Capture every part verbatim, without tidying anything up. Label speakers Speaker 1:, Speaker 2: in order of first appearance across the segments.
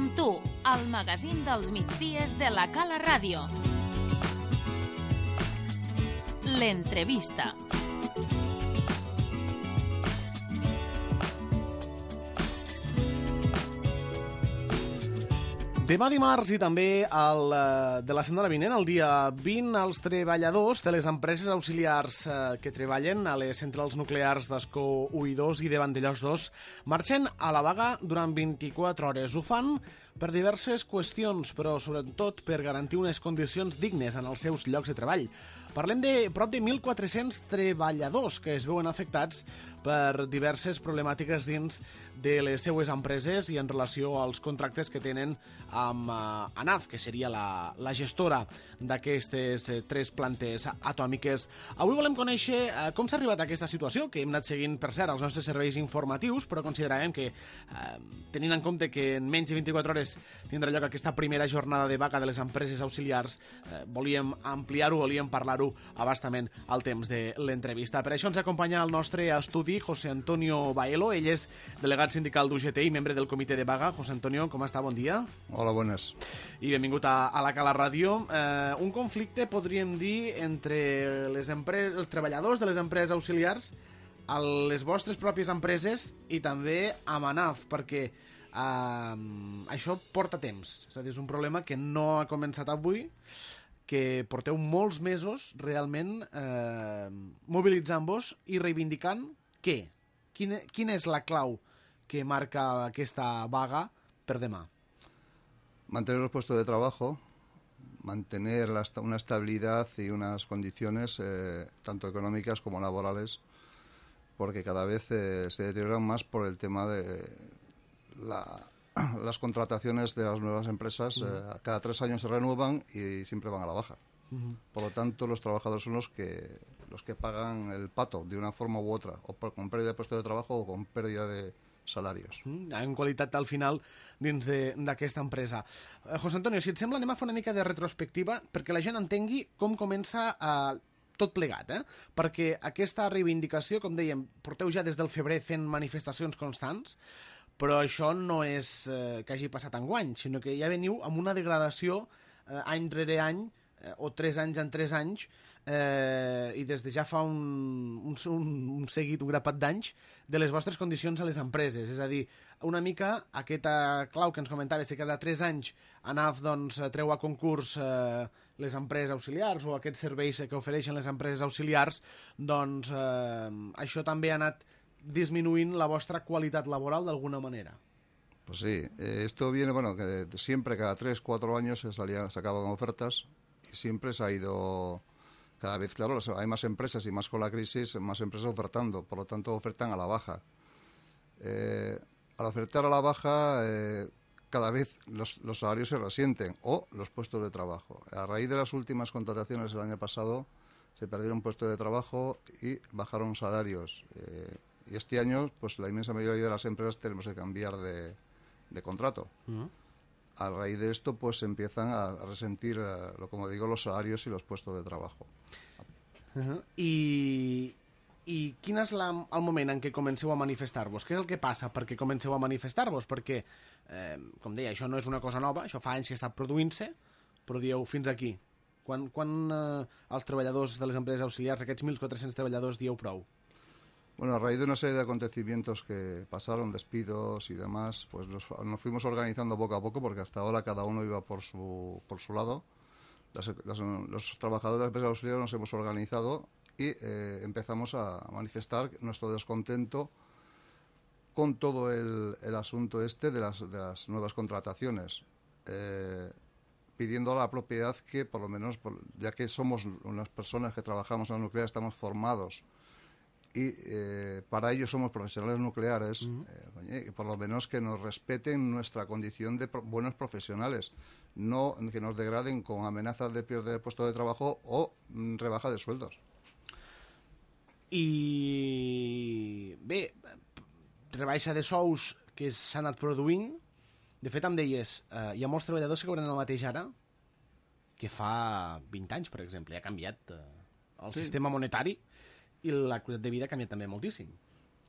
Speaker 1: Som tu, el magazín dels migdies de la Cala Ràdio. L'entrevista.
Speaker 2: Demà dimarts i també el, de la setmana vinent, el dia vint, els treballadors de les empreses auxiliars eh, que treballen a les centrals nuclears d'Ascó u i dos i de Vandellòs dos marxen a la vaga durant vint-i-quatre hores. Ho fan per diverses qüestions, però sobretot per garantir unes condicions dignes en els seus llocs de treball. Parlem de prop de mil quatre-cents treballadors que es veuen afectats per diverses problemàtiques dins de les seues empreses i en relació als contractes que tenen amb uh, ANAF, que seria la, la gestora d'aquestes uh, tres plantes atòmiques. Avui volem conèixer uh, com s'ha arribat a aquesta situació, que hem anat seguint, per cert, els nostres serveis informatius, però considerem que, uh, tenint en compte que en menys de vint-i-quatre hores tindrà lloc aquesta primera jornada de vaga de les empreses auxiliars, uh, volíem ampliar-ho, volíem parlar-ho abastament al temps de l'entrevista. Per això ens acompanya al nostre estudi José Antonio Baelo, ell és delegat sindical d'U G T i membre del comitè de vaga. José Antonio, com està? Bon dia.
Speaker 3: Hola, bones.
Speaker 2: I benvingut a, a la Cala Ràdio. Eh, un conflicte, podríem dir, entre les empreses, els treballadors de les empreses auxiliars, a les vostres pròpies empreses i també amb ANAF, perquè eh, això porta temps. És a dir, és un problema que no ha començat avui, que porteu molts mesos realment eh, mobilitzant-vos i reivindicant què? Quina, quina és la clau que marca aquesta vaga per demà?
Speaker 3: Mantener los puestos de trabajo, mantener la, una estabilidad y unas condiciones eh, tanto económicas como laborales, porque cada vez eh, se deterioran más por el tema de la, las contrataciones de las nuevas empresas. Uh-huh. eh, cada tres años se renuevan y siempre van a la baja. Uh-huh. Por lo tanto, los trabajadores son los que los que pagan el pato de una forma u otra, o por, con pérdida de puestos de trabajo o con pérdida de salarios. Mm, en qualitat al final dins d'aquesta empresa. Eh, José Antonio, si et sembla, anem a fer una mica de retrospectiva perquè la gent entengui com comença eh, tot plegat, eh? Perquè aquesta reivindicació, com dèiem, porteu ja des del febrer fent manifestacions constants, però això no és eh, que hagi passat enguany, sinó que ja veniu amb una degradació eh, any rere any, eh, o tres anys en tres anys, eh, i des de ja fa un, un, un seguit, un grapat d'anys, de les vostres condicions a les empreses. És a dir, una mica aquesta clau que ens comentaves, que cada tres anys ANAF doncs, treu a concurs eh, les empreses auxiliars o aquests serveis que ofereixen les empreses auxiliars, doncs eh, això també ha anat disminuint la vostra qualitat laboral d'alguna manera. Pues sí, eh, esto viene, bueno, que siempre cada tres, cuatro años se salía, se acaban ofertas y siempre se ha ido, cada vez, claro, hay más empresas y más con la crisis, más empresas ofertando, por lo tanto ofertan a la baja. Eh, al ofertar a la baja, eh, cada vez los, los salarios se resienten o los puestos de trabajo. A raíz de las últimas contrataciones del año pasado, se perdieron puestos de trabajo y bajaron salarios. Eh, y este año, pues la inmensa mayoría de las empresas tenemos que cambiar de, de contrato. Uh-huh. A raíz de esto, pues empiezan a, a resentir, eh, lo como digo, los salarios y los puestos de trabajo.
Speaker 2: Uh-huh. I, i quin és la, el moment en què comenceu a manifestar-vos? Què és el que passa perquè comenceu a manifestar-vos? Perquè, eh, com deia, això no és una cosa nova, això fa anys que està produint-se, però dieu, fins aquí. Quan, quan eh, els treballadors de les empreses auxiliars, aquests mil quatre-cents treballadors, dieu prou?
Speaker 3: Bueno, a raíz de una serie de acontecimientos que pasaron, despidos y demás, pues nos, nos fuimos organizando poco a poco, porque hasta ahora cada uno iba por su, por su lado. Las, las, los trabajadores de las empresas auxiliares nos hemos organizado y eh, empezamos a manifestar nuestro descontento con todo el, el asunto este de las, de las nuevas contrataciones, eh, pidiendo a la propiedad que, por lo menos, por, ya que somos unas personas que trabajamos en la nuclear, estamos formados y eh, para ello somos profesionales nucleares, uh-huh. eh, por lo menos que nos respeten nuestra condición de pro- buenos profesionales, no que nos degraden con amenazas de pérdida de puesto de trabajo o mm, rebaja de sueldos.
Speaker 2: I bé, rebaixa de sous que s'ha anat produint. De fet, em deies, eh, hi ha molts treballadors que cobren el mateix ara que fa vint anys, per exemple. Ha canviat eh, el sí. sistema monetari i la qualitat de vida ha canviat també moltíssim.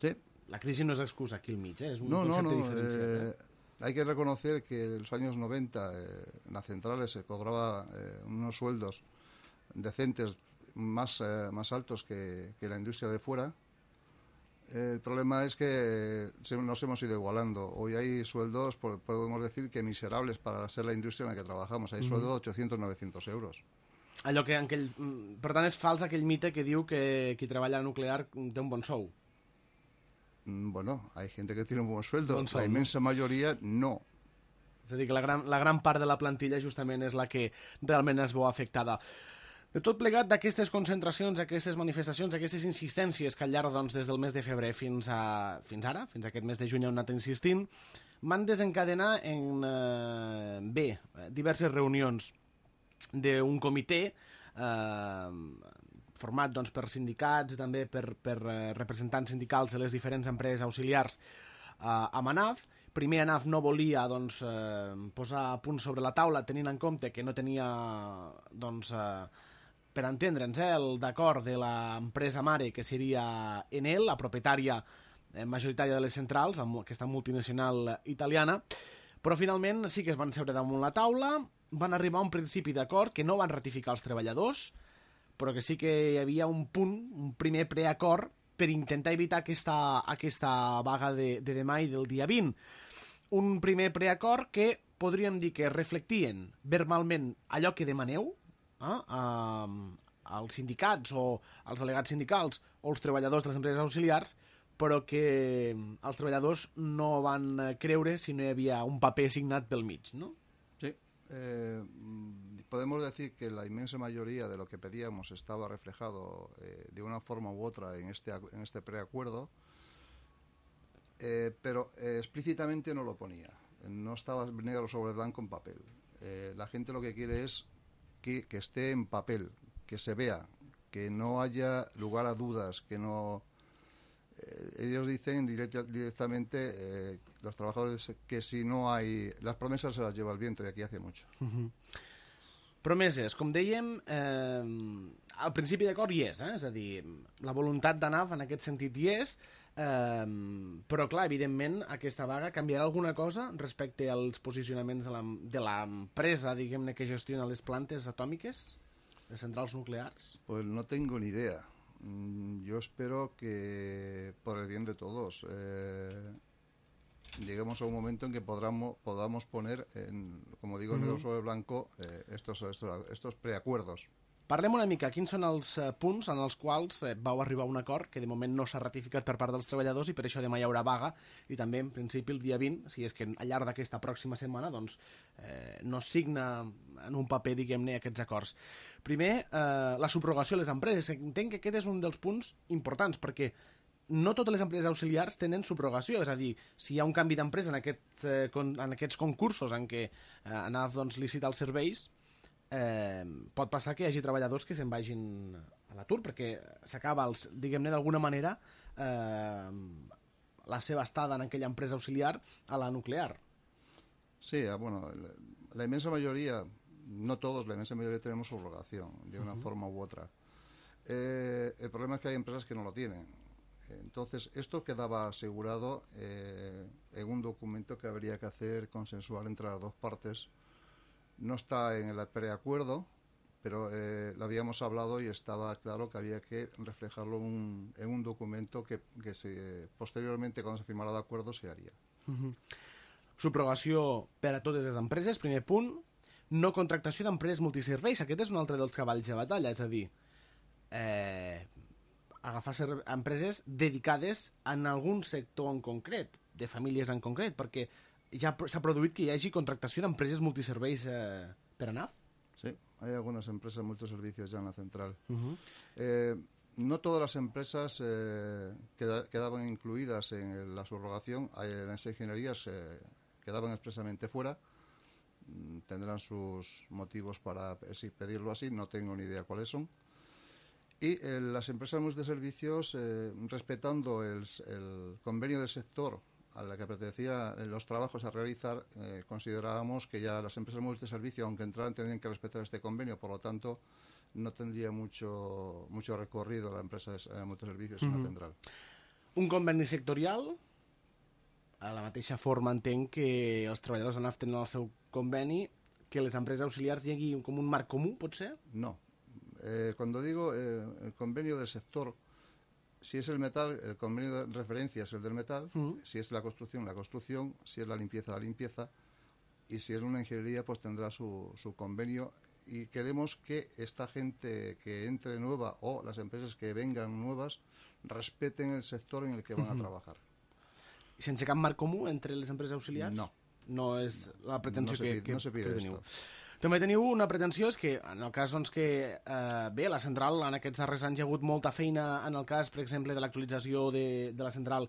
Speaker 3: Sí.
Speaker 2: La crisi no és excusa aquí al mig, eh? És un
Speaker 3: no,
Speaker 2: concepte
Speaker 3: no, no,
Speaker 2: diferenciat.
Speaker 3: Eh,
Speaker 2: eh?
Speaker 3: hay que reconocer que en los años noventa eh, en las centrales se cobraba eh, unos sueldos decentes más, eh, más altos que, que la industria de fuera. El problema es que nos hemos ido igualando. Hoy hay sueldos, podemos decir que miserables para ser la indústria en la que trabajamos. Hay sueldos de ochocientos, novecientos euros.
Speaker 2: Allò que, aquell, per tant, és fals aquell mite que diu que qui treballa a nuclear té un bon sou.
Speaker 3: Bueno, hay gente que tiene un buen sueldo.
Speaker 2: Bon sou,
Speaker 3: la inmensa
Speaker 2: no?
Speaker 3: mayoría no.
Speaker 2: És a dir, que la gran, la gran part de la plantilla justament és la que realment es veu afectada. De tot plegat d'aquestes concentracions, aquestes manifestacions, aquestes insistències que al llarg, doncs, des del mes de febrer fins, a, fins ara, fins a aquest mes de juny on han anat insistint, van desencadenar en, eh, bé, diverses reunions d'un comitè eh, format doncs, per sindicats i també per, per representants sindicals de les diferents empreses auxiliars eh, a Manaf. Primer Anaf no volia doncs, eh, posar a punt sobre la taula, tenint en compte que no tenia, doncs, eh, per entendre'ns, eh, el d'acord de l'empresa mare, que seria Enel, la propietària eh, majoritària de les centrals, amb aquesta multinacional italiana, però finalment sí que es van seure damunt la taula, van arribar a un principi d'acord que no van ratificar els treballadors, però que sí que hi havia un punt, un primer preacord, per intentar evitar aquesta, aquesta vaga de, de demà i del dia vint. Un primer preacord que podríem dir que reflectien verbalment allò que demaneu, eh, als sindicats o als delegats sindicals o els treballadors de les empreses auxiliars, però que els treballadors no van creure si no hi havia un paper signat pel mig, ¿no?
Speaker 3: Sí. Eh, podemos decir que la inmensa mayoría de lo que pedíamos estaba reflejado eh, de una forma u otra en este, en este preacuerdo, eh, pero eh, explícitamente no lo ponía. No estaba negro sobre blanco en papel. Eh, la gente lo que quiere es que, que esté en papel, que se vea, que no haya lugar a dudas, que no... Eh, ellos dicen direct, directamente, eh, los trabajadores, que si no hay... Las promesas se las lleva el viento, y aquí hace mucho.
Speaker 2: Uh-huh. Promeses, com dèiem, eh, al principi d'acord hi és, eh? És a dir, la voluntat d'Anaf en aquest sentit hi és, eh, però clar, evidentment, aquesta vaga canviarà alguna cosa respecte als posicionaments de l'empresa, diguem-ne, que gestiona les plantes atòmiques, les centrals nuclears?
Speaker 3: Pues no tengo ni idea. Yo espero que, por el bien de todos, eh, lleguemos a un momento en que podamos, podamos poner, en, como digo, uh-huh. negro sobre blanco, eh, estos, estos, estos preacuerdos.
Speaker 2: Parlem una mica, quins són els eh, punts en els quals eh, vau arribar a un acord que de moment no s'ha ratificat per part dels treballadors i per això demà hi haurà vaga i també en principi el dia vint, si és que al llarg d'aquesta pròxima setmana doncs, eh, no signa en un paper, diguem-ne, aquests acords. Primer, eh, la subrogació a les empreses. Entenc que aquest és un dels punts importants perquè no totes les empreses auxiliars tenen subrogació, és a dir, si hi ha un canvi d'empresa en, aquest, eh, con, en aquests concursos en què eh, ANAF doncs, licita els serveis, eh, pot passar que hi hagi treballadors que se'n vagin a l'atur, perquè s'acaba, diguem-ne, d'alguna manera, eh, la seva estada en aquella empresa auxiliar a la nuclear.
Speaker 3: Sí, bueno, la, la inmensa mayoría, no todos, la inmensa mayoría tenemos subrogación, de una uh-huh. forma u otra. Eh, el problema es que hay empresas que no lo tienen. Entonces, esto quedaba asegurado eh, en un documento que habría que hacer consensuar entre las dos partes. No está en el preacuerdo, pero eh, lo habíamos hablado y estaba claro que había que reflejarlo un, en un documento que, que se, posteriormente, cuando se firmara el acuerdo, se haría.
Speaker 2: Uh-huh. Subrogació per a totes les empreses, primer punt. No contractació d'empreses multiserveis. Aquest és un altre dels cavalls de batalla, és a dir... Eh... agafar empreses dedicades en algun sector en concret, de famílies en concret, perquè ja s'ha produït que hi hagi contractació d'empreses multiserveis eh, per ANAF.
Speaker 3: Sí, hay algunas empresas multiservicios ya en la central.
Speaker 2: Uh-huh.
Speaker 3: eh, no todas las empresas eh, queda, quedaban incluidas en la subrogación, en las ingenierías eh, quedaban expresamente fuera. Tendrán sus motivos para pedirlo así, no tengo ni idea cuáles son. Y eh, las empresas multiservicios, eh, respetando el, el convenio del sector a la que pertenecía los trabajos a realizar, eh, considerábamos que ya las empresas multiservicios, aunque entraran, tendrían que respetar este convenio, por lo tanto, no tendría mucho, mucho recorrido la empresa de eh, multiservicios uh-huh. en la central.
Speaker 2: Un conveni sectorial a la mateixa forma entenc que els treballadors de N A F tenen el seu conveni, que les empreses auxiliars hi hagi com un marc comú, pot ser?
Speaker 3: No. Eh, cuando digo eh, el convenio del sector, si es el metal, el convenio de referencia es el del metal, uh-huh. Si es la construcción, la construcción, si es la limpieza, la limpieza, y si es una ingeniería, pues tendrá su, su convenio. Y queremos que esta gente que entre nueva o las empresas que vengan nuevas respeten el sector en el que van uh-huh. a trabajar.
Speaker 2: I sense cap marc comú entre les empreses auxiliars?
Speaker 3: No.
Speaker 2: No és la pretensió
Speaker 3: no
Speaker 2: que,
Speaker 3: pide,
Speaker 2: que,
Speaker 3: no se pide
Speaker 2: que teniu.
Speaker 3: esto.
Speaker 2: També teniu una pretensió, és que en el cas doncs, que, eh, bé, la central en aquests darrers anys hi ha hagut molta feina en el cas, per exemple, de l'actualització de, de la central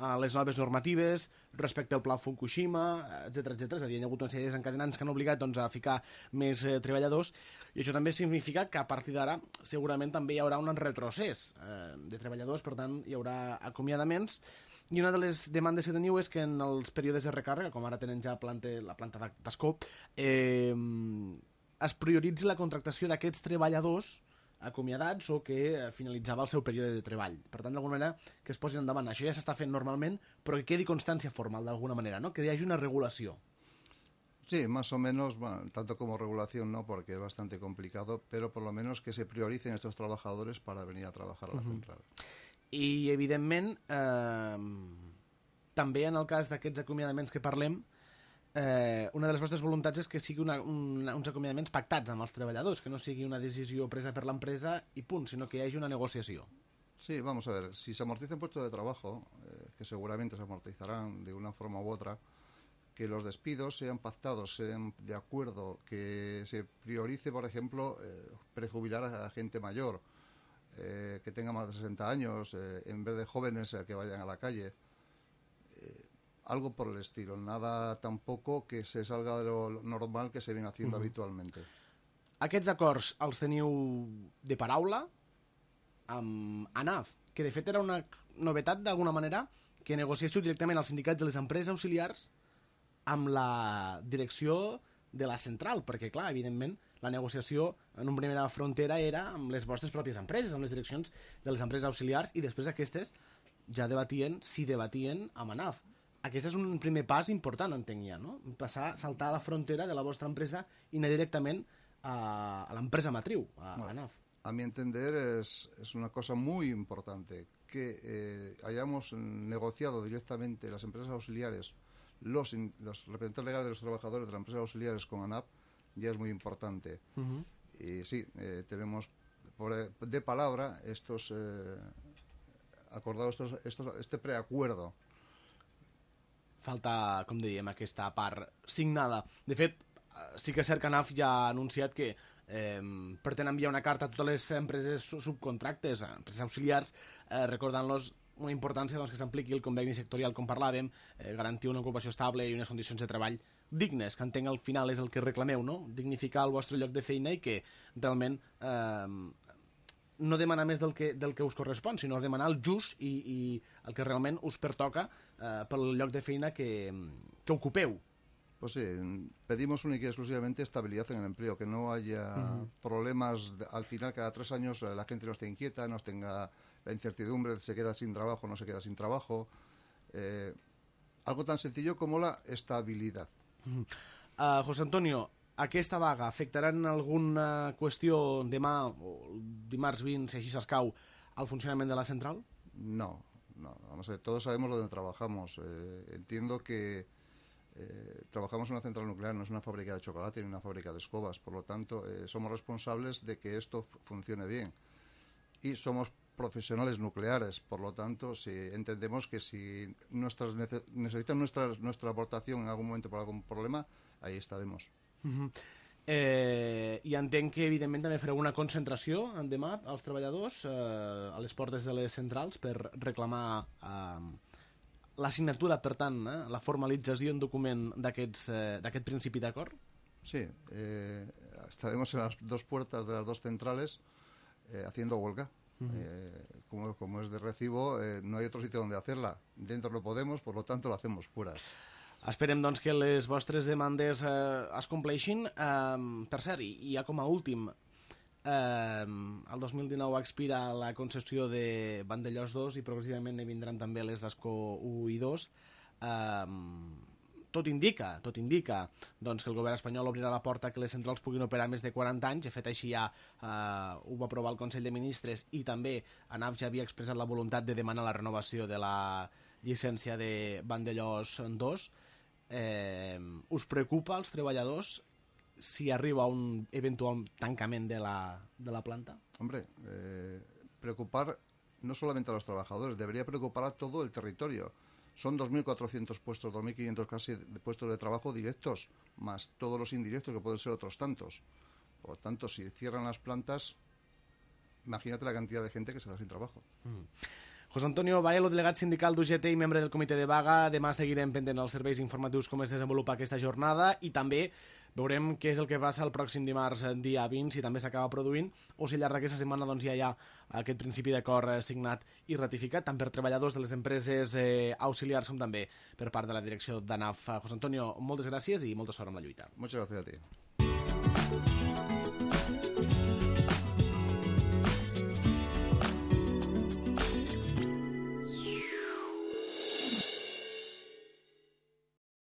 Speaker 2: a les noves normatives, respecte al pla Fukushima, etcètera, etcètera. És a dir, hi ha hagut una sèrie de desencadenants que han obligat doncs, a ficar més eh, treballadors, i això també significa que a partir d'ara segurament també hi haurà un retrocés eh, de treballadors, per tant hi haurà acomiadaments. I una de les demandes que teniu és que en els períodes de recàrrega, com ara tenen ja planta, la planta d'Ascó, eh, es prioritzi la contractació d'aquests treballadors acomiadats o que finalitzava el seu període de treball. Per tant, d'alguna manera, que es posin endavant. Això ja s'està fent normalment, però que quedi constància formal d'alguna manera, ¿no? Que hi hagi una regulació.
Speaker 3: Sí, más o menos, bueno, tanto como regulación no, porque es bastante complicado, pero por lo menos que se prioricen estos trabajadores para venir a trabajar a la uh-huh. central.
Speaker 2: I, evidentment, eh, també en el cas d'aquests acomiadaments que parlem, eh, una de les vostres voluntats és que sigui una, una, uns acomiadaments pactats amb els treballadors, que no sigui una decisió presa per l'empresa i punt, sinó que hi hagi una negociació.
Speaker 3: Sí, vamos a ver, si se amortizan puestos de trabajo, eh, que seguramente se amortizarán de una forma u otra, que los despidos sean pactados, sean de acuerdo, que se priorice, por ejemplo, eh, prejubilar a gente mayor, Eh, que tenga más de sesenta años, eh, en vez de jóvenes eh, que vayan a la calle. Eh, algo por el estilo, nada tampoco que se salga de lo normal que se viene haciendo uh-huh. habitualmente.
Speaker 2: Aquests acords els teniu de paraula amb A N A F, que de fet era una novetat d'alguna manera que negociéssiu directament als sindicats de les empreses auxiliars amb la direcció de la central, perquè clar, evidentment la negociació en una primera frontera era amb les vostres pròpies empreses, amb les direccions de les empreses auxiliars, i després aquestes ja debatien, si debatien amb A N A F. Aquest és un primer pas important, entenc ja, no? Passar, saltar a la frontera de la vostra empresa i anar directament a, a l'empresa matriu, a, a A N A F.
Speaker 3: A mi entender es, es una cosa muy importante que eh, hayamos negociado directamente las empresas auxiliares, los, los representantes legales de los trabajadores de las empresas auxiliares con A N A F, ya es muy importante. Uh-huh. Y sí, eh, tenemos por, de palabra estos eh, acordados, estos, estos, este preacuerdo.
Speaker 2: Falta, com dèiem, aquesta part signada. De fet, sí que és cert que A N A F ja ha anunciat que eh, pretén enviar una carta a totes les empreses subcontractes, empreses auxiliars, eh, recordant-los una importància doncs, que s'apliqui el conveni sectorial, com parlàvem, eh, garantir una ocupació estable i unes condicions de treball dignes, que entenc al final és el que reclameu, no? Dignificar el vostre lloc de feina i que realment eh, no demanar més del que, del que us correspon, sinó demanar el just i, i el que realment us pertoca eh, pel lloc de feina que, que ocupeu.
Speaker 3: Pues sí, pedimos única y exclusivamente estabilidad en el empleo, que no haya uh-huh. problemas, de, al final cada tres años la gente no esté inquieta, no tenga la incertidumbre, se queda sin trabajo, no se queda sin trabajo. Eh, algo tan sencillo como la estabilidad.
Speaker 2: Uh-huh. uh, José Antonio, aquesta vaga afectarà en alguna qüestió demà o dimarts vint, si així s'escau, al funcionament de la central?
Speaker 3: No, no, vamos a ver, todos sabemos lo donde trabajamos. Eh, entiendo que eh, trabajamos en una central nuclear, no es una fábrica de chocolate ni una fábrica de escobas, por lo tanto eh, somos responsables de que esto f- funcione bien. Y somos profesionales nucleares, por lo tanto, si entendemos que si nuestras nece- necesitan nuestra, nuestra aportación en algún momento por algún problema, ahí estaremos.
Speaker 2: Uh-huh. eh, I entenc que evidentment també fareu una concentració demà als treballadors eh, a les portes de les centrals per reclamar eh, la signatura, per tant, eh, la formalització en document d'aquests, eh, d'aquest principi d'acord?
Speaker 3: Sí, eh, estaremos en las dos puertas de las dos centrales eh, haciendo huelga. Uh-huh. Eh, como, como es de recibo, eh, no hay otro sitio donde hacerla. Dentro no podemos, por lo tanto lo hacemos fuera.
Speaker 2: Esperem doncs que les vostres demandes eh, es compleixin. Eh, per cert, i ja com a últim, eh, el dos mil dinou expira la concessió de Vandellòs dos i progressivament ne vindran també les d'Ascó u i dos. eh, tot indica, tot indica doncs, que el govern espanyol obrirà la porta que les centrals puguin operar més de quaranta anys. De fet, així ja eh, ho va aprovar el Consell de Ministres i també ANAF ja havia expressat la voluntat de demanar la renovació de la llicència de Vandellòs dos. Eh, us preocupa als treballadors si arriba un eventual tancament de la, de la planta?
Speaker 3: Hombre, eh, preocupar no solamente a los trabajadores, debería preocupar a todo el territorio. Son dos mil cuatrocientos puestos, dos mil quinientos casi de puestos de trabajo directos, más todos los indirectos que pueden ser otros tantos. Por lo tanto, si cierran las plantas, imagínate la cantidad de gente que se queda sin trabajo.
Speaker 2: Mm. José Antonio Baelo, delegat sindical d'U G T i membre del comitè de vaga. Demà seguirem pendent els serveis informatius com es desenvolupa aquesta jornada i també veurem què és el que passa el pròxim dimarts, dia vint, si també s'acaba produint o si al llarg d'aquesta setmana doncs, ja hi ha aquest principi d'acord signat i ratificat, tant per treballadors de les empreses eh, auxiliars com també per part de la direcció d'ANAF. José Antonio, moltes gràcies i molta sort amb la lluita.
Speaker 3: Muchas gracias a ti.